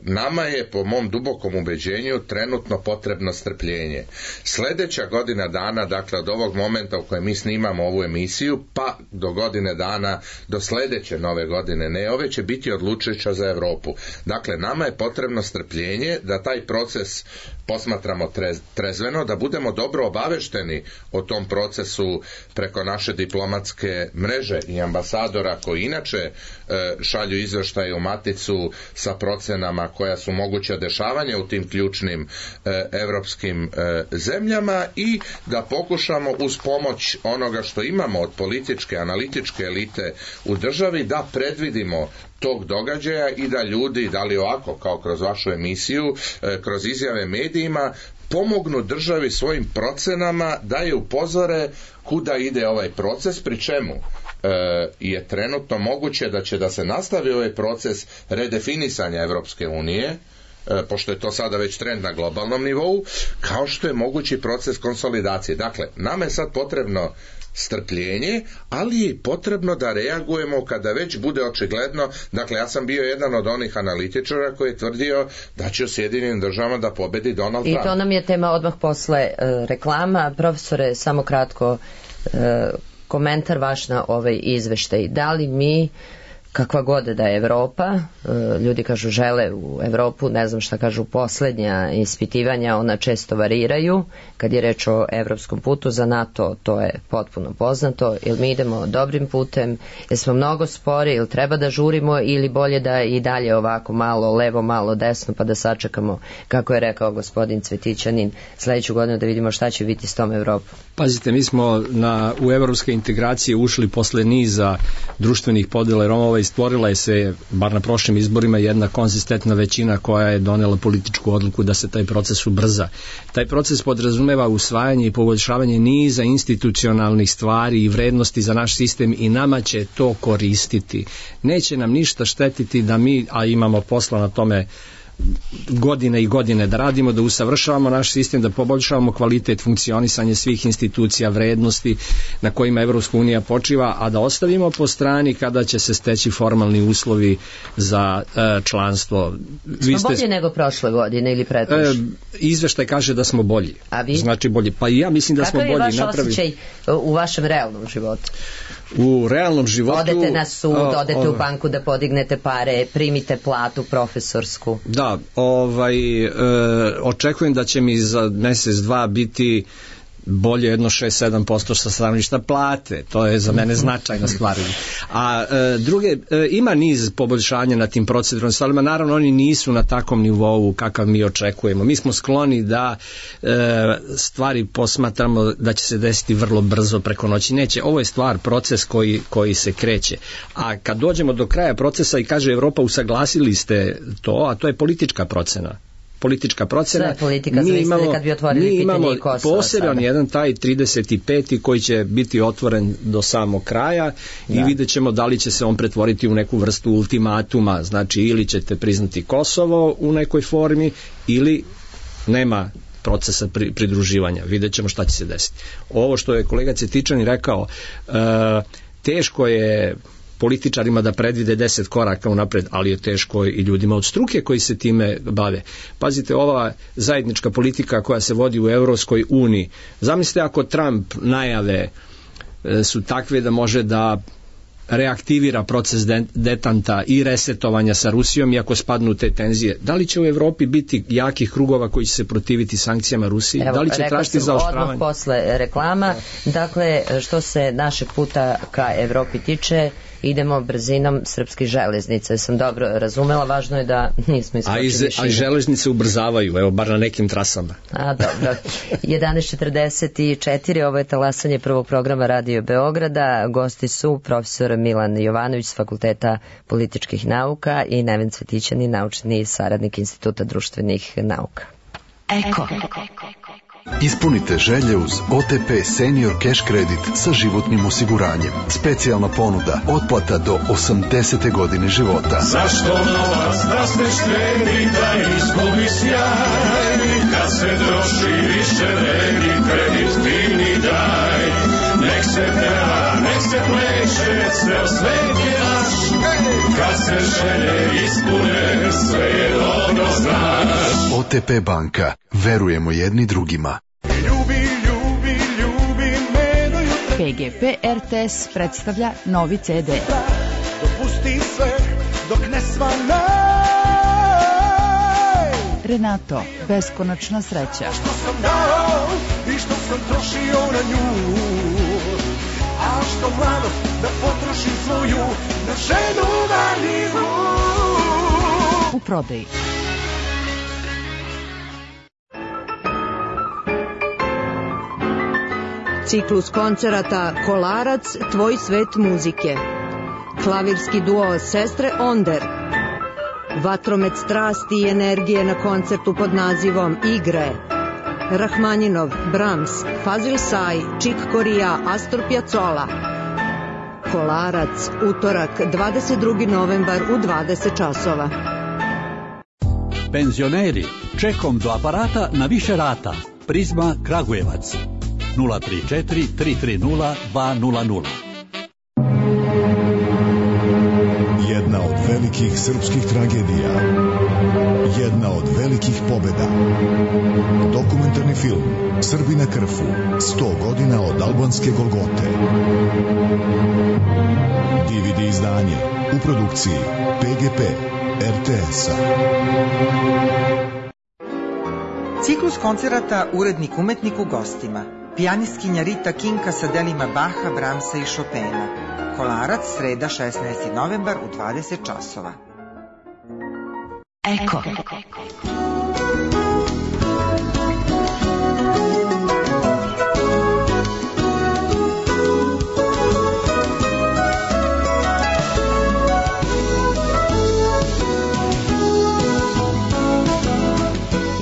nama je, po mom dubokom ubeđenju, trenutno potrebno strpljenje. Sledeća godina dana, dakle, od ovog momenta u kojem mi snimamo ovu emisiju, pa do godine dana, do sledeće nove godine, ne, ove će biti odlučujuća za Evropu. Dakle, nama je potrebno strpljenje da taj proces posmatramo trezveno, da budemo dobro obavešteni o tom procesu preko naše diplomatske mreže i ambasadora koji inače šalju izveštaje u maticu sa procenama koja su moguća dešavanja u tim ključnim evropskim zemljama i da pokušamo uz pomoć onoga što imamo od političke, analitičke elite u državi da predvidimo tog događaja i da ljudi, da li ovako kao kroz vašu emisiju, kroz izjave medijima, pomognu državi svojim procenama da je upozore kuda ide ovaj proces, pri čemu je trenutno moguće da će da se nastavi ovaj proces redefinisanja Evropske unije, pošto je to sada već trend na globalnom nivou, kao što je mogući proces konsolidacije. Dakle, nama je sad potrebno strpljenje, ali je potrebno da reagujemo kada već bude očigledno. Dakle, ja sam bio jedan od onih analitičara koji je tvrdio da će u Sjedinjenim državama da pobedi Donald Trump. I to nam je tema odmah posle reklama. Profesore, samo kratko komentar vaš na ovaj izveštaj. Da li mi, kakva god da je Evropa, ljudi kažu žele u Evropu, ne znam šta kažu poslednja ispitivanja, ona često variraju, kad je reč o evropskom putu, za NATO to je potpuno poznato, ili mi idemo dobrim putem, jer smo mnogo spori, ili treba da žurimo, ili bolje da i dalje ovako malo levo, malo desno, pa da sačekamo, kako je rekao gospodin Cvetićanin, sledeću godinu da vidimo šta će biti s tom Evropom. Pazite, mi smo u evropske integracije ušli posle niza društvenih podela, jer ovo stvorila je se, bar na prošlim izborima, jedna konzistentna većina koja je donela političku odluku da se taj proces ubrza. Taj proces podrazumeva usvajanje i poboljšavanje niza institucionalnih stvari i vrednosti za naš sistem i nama će to koristiti. Neće nam ništa štetiti da mi, a imamo posla na tome godine i godine da radimo, da usavršavamo naš sistem, da poboljšavamo kvalitet funkcionisanja svih institucija, vrednosti na kojima Evropska unija počiva, a da ostavimo po strani kada će se steći formalni uslovi za članstvo. Smo bolji nego prošle godine ili pretprošle? Izveštaj kaže da smo bolji. A vi? Znači bolji. Pa i ja mislim da smo bolji. Kakav je vaš osjećaj u vašem realnom životu? U realnom životu... Odete na sud, odete u banku da podignete pare, primite platu profesorsku. Da, očekujem da će mi za mesec, dva biti bolje jedno 6-7% sa stanovišta plate, to je za mene značajna stvar. A druge, ima niz poboljšanja na tim proceduralnim stvarima, naravno oni nisu na takvom nivou kakav mi očekujemo. Mi smo skloni da stvari posmatramo da će se desiti vrlo brzo preko noći. Neće, ovo je stvar, proces koji se kreće. A kad dođemo do kraja procesa i kaže Evropa usaglasili ste to, a to je politička procena. politička procena. Sve je politika, zavisno kad bi otvorili pitanje i Kosova. Poseban jedan taj 35. koji će biti otvoren do samog kraja i vidjet ćemo da li će se on pretvoriti u neku vrstu ultimatuma, znači ili ćete priznati Kosovo u nekoj formi ili nema procesa pridruživanja. Vidjet ćemo šta će se desiti. Ovo što je kolega Cvetičanin rekao, teško je političarima da predvide 10 koraka unapred, ali je teško i ljudima od struke koji se time bave. Pazite, ova zajednička politika koja se vodi u Evropskoj uniji, zamislite ako Trump najave su takve da može da reaktivira proces detanta i resetovanja sa Rusijom i ako spadnu te tenzije, da li će u Evropi biti jakih krugova koji će se protiviti sankcijama Rusiji? Evo, da li će tražiti zaoštravanje? Odmah posle reklama. Dakle, što se našeg puta ka Evropi tiče, idemo brzinom srpskih železnica. Sam dobro razumela, važno je da nismo iskočili šire. A i železnice ubrzavaju, evo, bar na nekim trasama. A, dobro. 11:44, ovo je talasanje prvog programa Radio Beograda. Gosti su profesor Milan Jovanović s Fakulteta političkih nauka i Neven Cvetićanin, naučni saradnik Instituta društvenih nauka. Eko. Ispunite želje uz OTP Senior Cash Credit sa životnim osiguranjem. Specijalna ponuda, otplata do 80. godine života. Zašto novac da se štedi, da izgubi sjaj? Kad se troši više vredi, kredit fini daj. Nek se peva, nek se pleše, ceo svet je naš. Kad se želje ispune, sve je dobro znaš. OTP banka, verujemo jedni drugima. PGP RTS predstavlja novi CD. Dopusti sve dok ne svanaj. Renato, beskonačna sreća. Što sam dao i što sam trošio na nju, a što mlado da potrošim svoju na ženu marljivu. U prodaji. Ciklus koncerata Kolarac, tvoj svet muzike. Klavirski duo Sestre Onder. Vatromet strasti i energije na koncertu pod nazivom Igre. Rahmaninov, Brahms, Fazil Say, Chick Corea, Astor Piazzolla. Kolarac, utorak, 22. novembar u 20 časova. Penzioneri, čekom do aparata na više rata. Prizma Kragujevac. 034 330 200. Jedna od velikih srpskih tragedija. Jedna od velikih pobeda. Dokumentarni film Srbi na Krfu. 100 godina od albanske Golgote. DVD izdanje u produkciji PGP RTS-a. Ciklus koncerata Urednik umetnik u gostima. Pijanistkinja Rita Kinka sa delima Baha, Brahmsa i Chopina. Kolarac, sreda 16. novembar u 20 časova. Eko.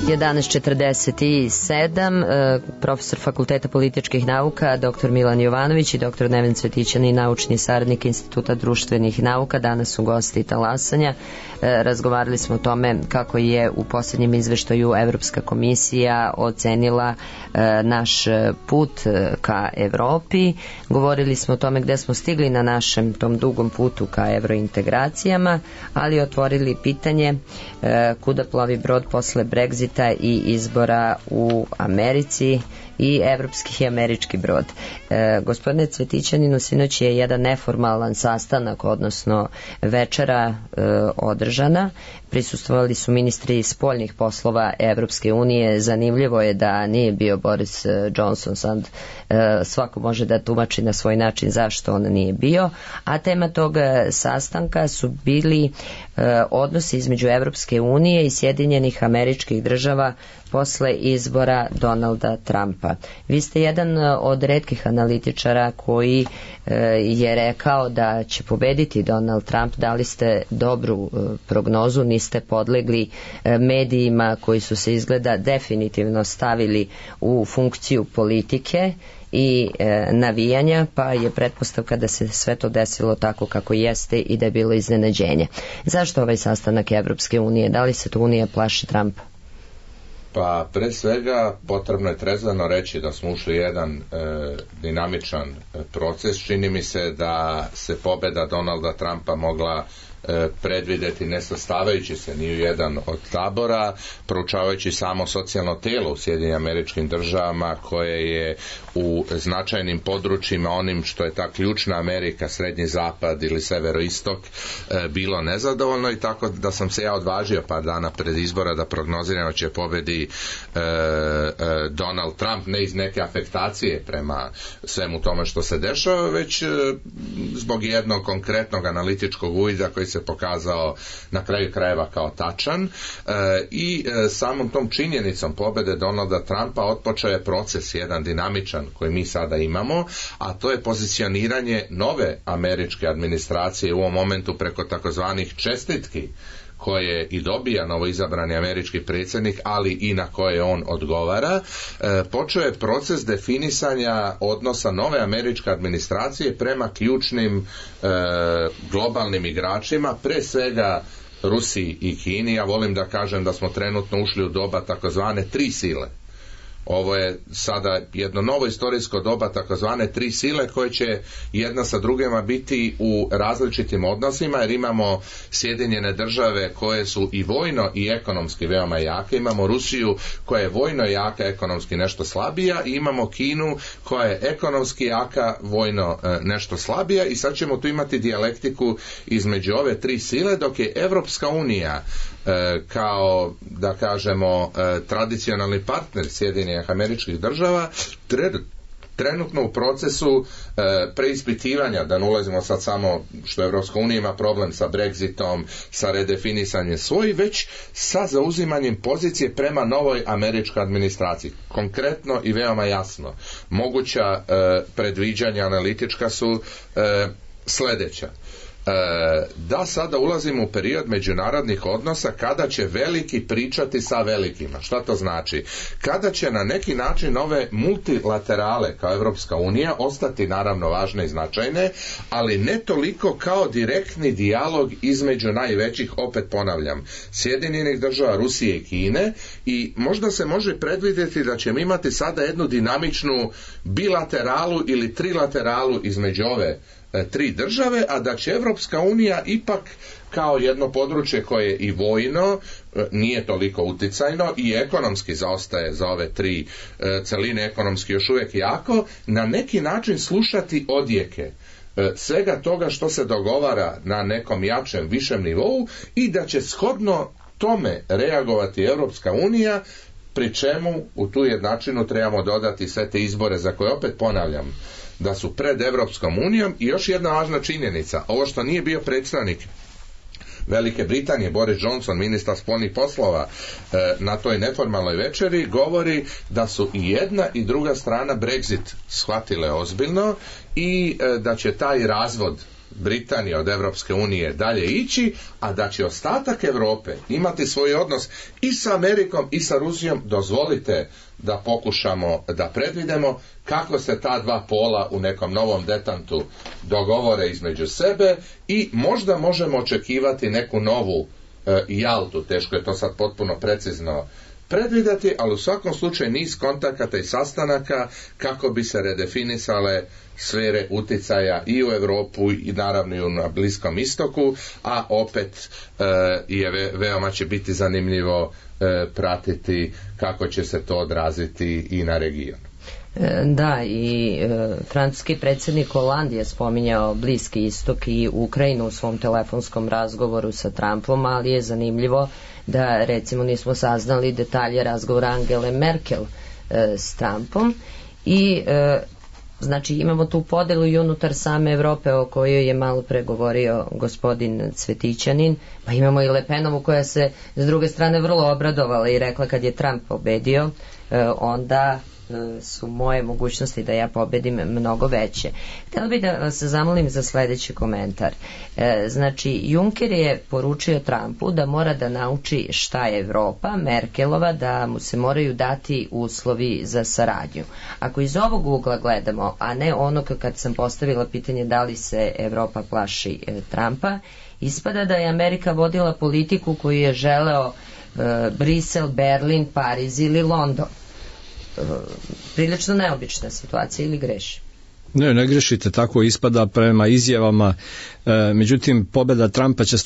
11:47, profesor Fakulteta političkih nauka, dr. Milan Jovanović i dr. Neven Cvetićanin, naučni saradnik Instituta društvenih nauka, danas su gosti talasanja. Razgovarali smo o tome kako je u posljednjem izveštaju Evropska komisija ocenila naš put ka Evropi. Govorili smo o tome gde smo stigli na našem tom dugom putu ka evrointegracijama, ali otvorili pitanje kuda plovi brod posle Brexita i izbora u Americi i evropski i američki brod. Gospodine Cvetićaninu, sinoć je jedan neformalan sastanak, odnosno večera održana. Prisustvovali su ministri spoljnih poslova Evropske unije. Zanimljivo je da nije bio Boris Johnson, sad svako može da tumači na svoj način zašto on nije bio, a tema tog sastanka su bili odnosi između Evropske unije i Sjedinjenih Američkih Država posle izbora Donalda Trumpa. Vi ste jedan od retkih analitičara koji je rekao da će pobediti Donald Trump. Dali ste dobru prognozu, niste podlegli medijima koji su se izgleda definitivno stavili u funkciju politike i navijanja, pa je pretpostavka da se sve to desilo tako kako jeste i da je bilo iznenađenje. Zašto ovaj sastanak Evropske unije? Da li se to Unija plaši Trumpa? Pa pre svega potrebno je trezveno reći da smo ušli jedan dinamičan proces. Čini mi se da se pobeda Donalda Trumpa mogla predvideti ne sastavajući se ni u jedan od tabora, proučavajući samo socijalno telo u Sjedinjenim Američkim Državama koje je u značajnim područjima, onim što je ta ključna Amerika, Srednji Zapad ili Severoistok, bilo nezadovoljno, i tako da sam se ja odvažio par dana pred izbora da prognoziram da će pobedi Donald Trump, ne iz neke afektacije prema svemu tome što se dešava, već zbog jednog konkretnog analitičkog uvida koji se pokazao na kraju krajeva kao tačan, i samom tom činjenicom pobede Donalda Trumpa otpočeo je proces jedan dinamičan koji mi sada imamo, a to je pozicioniranje nove američke administracije u ovom momentu preko takozvanih čestitki koje i dobija novoizabrani američki predsjednik, ali i na koje on odgovara. Počeo je proces definisanja odnosa nove američke administracije prema ključnim globalnim igračima, pre svega Rusiji i Kini. Ja volim da kažem da smo trenutno ušli u doba takozvane tri sile. Ovo je sada jedno novo istorijsko doba takozvane tri sile koje će jedna sa drugima biti u različitim odnosima, jer imamo Sjedinjene Države koje su i vojno i ekonomski veoma jake, imamo Rusiju koja je vojno jaka, ekonomski nešto slabija, i imamo Kinu koja je ekonomski jaka, vojno nešto slabija, i sad ćemo tu imati dijalektiku između ove tri sile, dok je Evropska unija kao, da kažemo, tradicionalni partner Sjedinjenih Američkih Država trenutno u procesu preispitivanja, da ne ulazimo sad samo što Evropska unija ima problem sa Brexitom, sa redefinisanjem svojih, već sa zauzimanjem pozicije prema novoj američkoj administraciji. Konkretno i veoma jasno, moguća predviđanja analitička su sljedeća. Da sada ulazimo u period međunarodnih odnosa kada će veliki pričati sa velikima. Šta to znači? Kada će na neki način ove multilaterale kao Evropska unija ostati naravno važne i značajne, ali ne toliko kao direktni dijalog između najvećih, opet ponavljam, Sjedinjenih Država, Rusije i Kine, i možda se može predvidjeti da ćemo imati sada jednu dinamičnu bilateralu ili trilateralu između ove tri države, a da će Evropska unija ipak kao jedno područje koje i vojno nije toliko uticajno i ekonomski zaostaje za ove tri celine, ekonomski još uvijek jako, na neki način slušati odjeke svega toga što se dogovara na nekom jačem, višem nivou, i da će shodno tome reagovati Evropska unija, pri čemu u tu jednačinu trebamo dodati sve te izbore za koje opet ponavljam da su pred Evropskom unijom. I još jedna važna činjenica, ovo što nije bio predstavnik Velike Britanije, Boris Johnson, ministar spoljnih poslova, na toj neformalnoj večeri, govori da su i jedna i druga strana Brexit shvatile ozbiljno i da će taj razvod Britanije od Evropske unije dalje ići, a da će ostatak Europe imati svoj odnos i sa Amerikom i sa Rusijom. Dozvolite da pokušamo da predvidimo kako se ta dva pola u nekom novom detantu dogovore između sebe, i možda možemo očekivati neku novu Jaltu. Teško je to sad potpuno precizno predvidjeti, ali u svakom slučaju niz kontakata i sastanaka kako bi se redefinisale sfere uticaja i u Europu i naravno i na Bliskom istoku, a opet je veoma će biti zanimljivo pratiti kako će se to odraziti i na region. Da, i francuski predsjednik Hollande je spominjao Bliski istok i Ukrajinu u svom telefonskom razgovoru sa Trumpom, ali je zanimljivo da recimo nismo saznali detalje razgovora Angele Merkel s Trumpom, i Znači imamo tu podelu i unutar same Evrope o kojoj je malo pre govorio gospodin Cvetićanin, pa imamo i Le Penovu koja se s druge strane vrlo obradovala i rekla kad je Trump pobedio, onda su moje mogućnosti da ja pobedim mnogo veće. Htjela bih da vas zamolim za sledeći komentar. Znači, Juncker je poručio Trumpu da mora da nauči šta je Evropa, Merkelova da mu se moraju dati uslovi za saradnju. Ako iz ovog ugla gledamo, a ne onog kad sam postavila pitanje da li se Evropa plaši Trumpa, ispada da je Amerika vodila politiku koju je želeo Brisel, Berlin, Pariz ili London. Prilično neobična situacija, ili greši? Ne grešite, tako ispada prema izjavama. Međutim, pobeda Trumpa će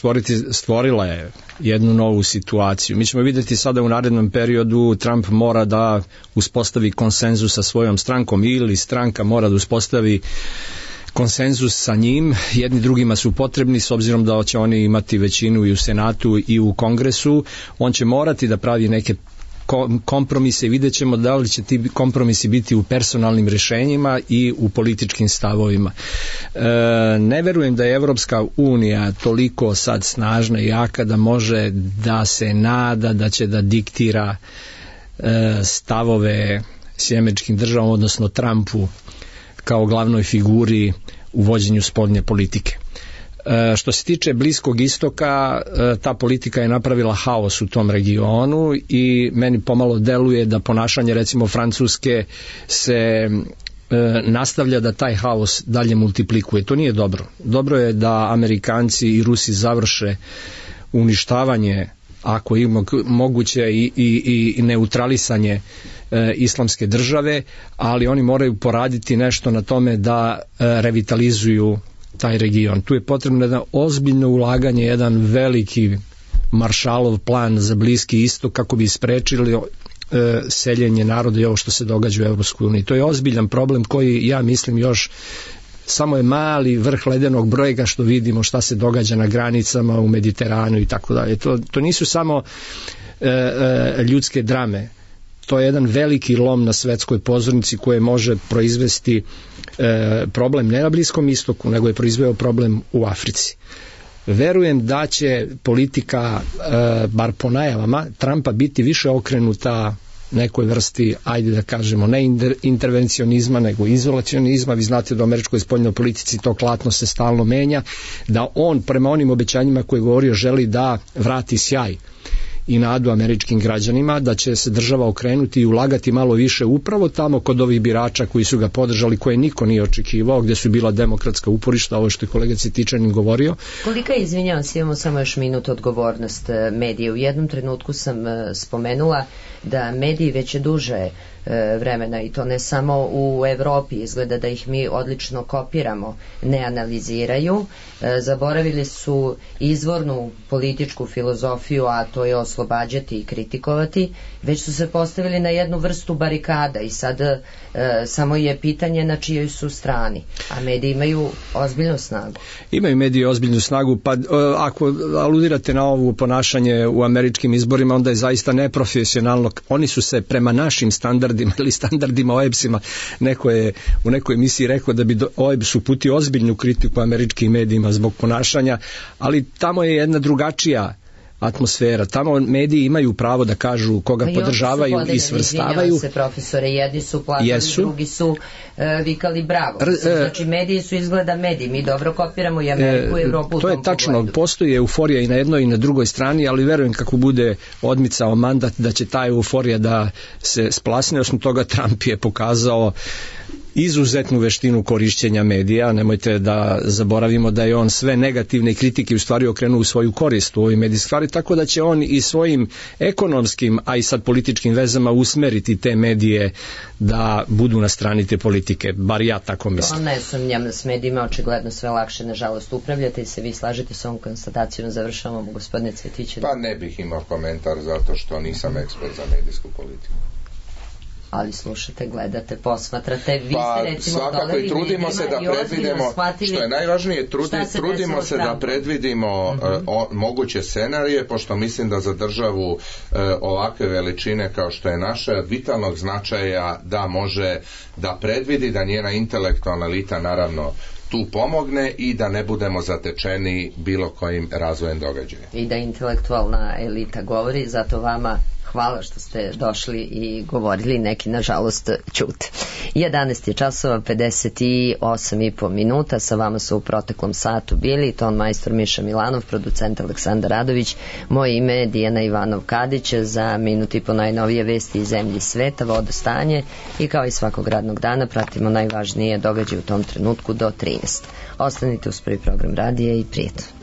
stvorila je jednu novu situaciju. Mi ćemo vidjeti sada u narednom periodu Trump mora da uspostavi konsenzus sa svojom strankom ili stranka mora da uspostavi konsenzus sa njim, jedni drugima su potrebni s obzirom da će oni imati većinu i u Senatu i u Kongresu. On će morati da pravi neke kompromise i vidjet ćemo da li će ti kompromisi biti u personalnim rješenjima i u političkim stavovima. Ne verujem da je Evropska unija toliko sad snažna i jaka da može da se nada da će da diktira stavove s američkim državom, odnosno Trumpu kao glavnoj figuri u vođenju spoljne politike. Što se tiče Bliskog istoka, ta politika je napravila haos u tom regionu i meni pomalo deluje da ponašanje recimo Francuske se nastavlja da taj haos dalje multiplikuje. To nije dobro. Dobro je da Amerikanci i Rusi završe uništavanje, ako je moguće, i neutralisanje islamske države, ali oni moraju poraditi nešto na tome da revitalizuju taj region. Tu je potrebno jedno ozbiljno ulaganje, jedan veliki Maršalov plan za Bliski istok kako bi sprečili seljenje naroda i ovo što se događa u Evropskoj uniji. To je ozbiljan problem koji, ja mislim, još samo je mali vrh ledenog brojega što vidimo šta se događa na granicama u Mediteranu i tako dalje. To nisu samo ljudske drame. To je jedan veliki lom na svetskoj pozornici koje može proizvesti problem ne na Bliskom istoku, nego je proizveo problem u Africi. Verujem da će politika, bar po najavama, Trumpa biti više okrenuta nekoj vrsti, ajde da kažemo, ne intervencionizma, nego izolacionizma. Vi znate da u američkoj spoljnoj politici to klatno se stalno menja, da on prema onim obećanjima koje je govorio želi da vrati sjaj i nadu američkim građanima, da će se država okrenuti i ulagati malo više upravo tamo kod ovih birača koji su ga podržali, koje niko nije očekivao, gdje su bila demokratska uporišta, ovo što je kolega Cvetićanin govorio. Kolika je, izvinjavam se, imamo samo još minut, odgovornost medija? U jednom trenutku sam spomenula da mediji već duže vremena, i to ne samo u Evropi, izgleda da ih mi odlično kopiramo, ne analiziraju, zaboravili su izvornu političku filozofiju, a to je oslobađati i kritikovati, već su se postavili na jednu vrstu barikada i sad samo je pitanje na čijoj su strani, a mediji imaju ozbiljnu snagu. Imaju mediji ozbiljnu snagu, pa ako aludirate na ovo ponašanje u američkim izborima, onda je zaista neprofesionalno. Oni su se prema našim standardima ili standardima OEBS-ima, neko je u nekoj emisiji rekao da bi OEBS uputio ozbiljnu kritiku američkim medijima zbog ponašanja, ali tamo je jedna drugačija atmosfera. Tamo mediji imaju pravo da kažu koga podržavaju i svrstavaju. Se, profesore, jedni su plakali, drugi su vikali bravo. Znači mediji su izgleda mediji. Mi dobro kopiramo i Ameriku i Evropu. To je tačno, pogledu. Postoji euforija i na jednoj i na drugoj strani, ali verujem kako bude odmicao mandat da će ta euforija da se splasne. Osim toga, Trump je pokazao izuzetnu veštinu korišćenja medija. Nemojte da zaboravimo da je on sve negativne kritike u stvari okrenuo u svoju korist u ovoj medijskoj stvari, tako da će on i svojim ekonomskim, a i sad političkim vezama usmeriti te medije da budu na strani te politike, bar ja tako mislim. To ne sumnjam, s medijima očigledno sve lakše, nažalost, upravljate i se vi slažete s ovom konstatacijom. Završavamo, gospodine Cvetićanin. Pa ne bih imao komentar zato što nisam ekspert za medijsku politiku. ali slušate, gledate, posmatrate, vi Pa ste recimo svakako i trudimo se da predvidimo, što je najvažnije, trudimo se da predvidimo moguće scenarije, pošto mislim da za državu ovakve veličine kao što je naša, vitalnog značaja da može da predvidi, da njena intelektualna elita naravno tu pomogne i da ne budemo zatečeni bilo kojim razvojem događaja. I da intelektualna elita govori, zato vama hvala što ste došli i govorili, neki nažalost ćute. 11 je časova, 58,5 minuta, sa vama su u proteklom satu bili ton majstor Miša Milanov, producent Aleksandar Radović, moje ime je Dijana Ivanov Kadić, za minut i po najnovije vesti iz zemlje i sveta, vodostanje i kao i svakog radnog dana pratimo najvažnije događaje u tom trenutku do 13. Ostanite uz prvi program radija i prijetno.